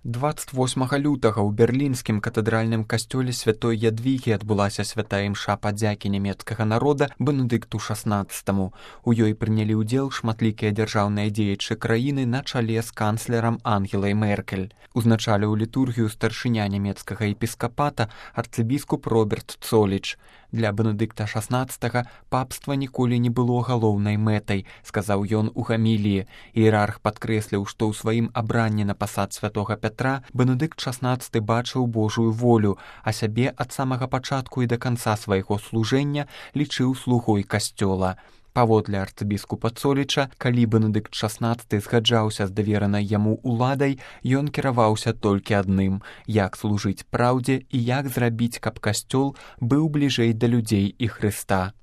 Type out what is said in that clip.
28 лютага ў берлінскім катэдральным касцёле святой Ядвігі адбылася святая імша падзякі нямецкага народа Бенедыкту XVI. У ёй прынялі ўдзел шматлікія дзяржаўныя дзеячы краіны на чале з канцлерам Ангелай Меркель. Узначаліў літургію старшыня нямецкага епіскапата арцыбіскуп Роберт Цоліч. Для Бенедыкта XVI папства ніколі не было галоўнай мэтай, сказаў ён у гаміліі. Іерарх падкрэсліў, што ў сваім абранні на пасад святога Пятра Бенедыкт XVI бачыў Божую волю, а сябе ад самага пачатку і да канца свайго служэння лічыў слугой касцёла. Паводле арцыбіскупа Цоліча, калі Бенедыкт XVI згаджаўся з даверанай яму уладай, ён кіраваўся толькі адным – як служыць праўдзе і як зрабіць, каб касцёл быў бліжэй да людзей і Хрыста.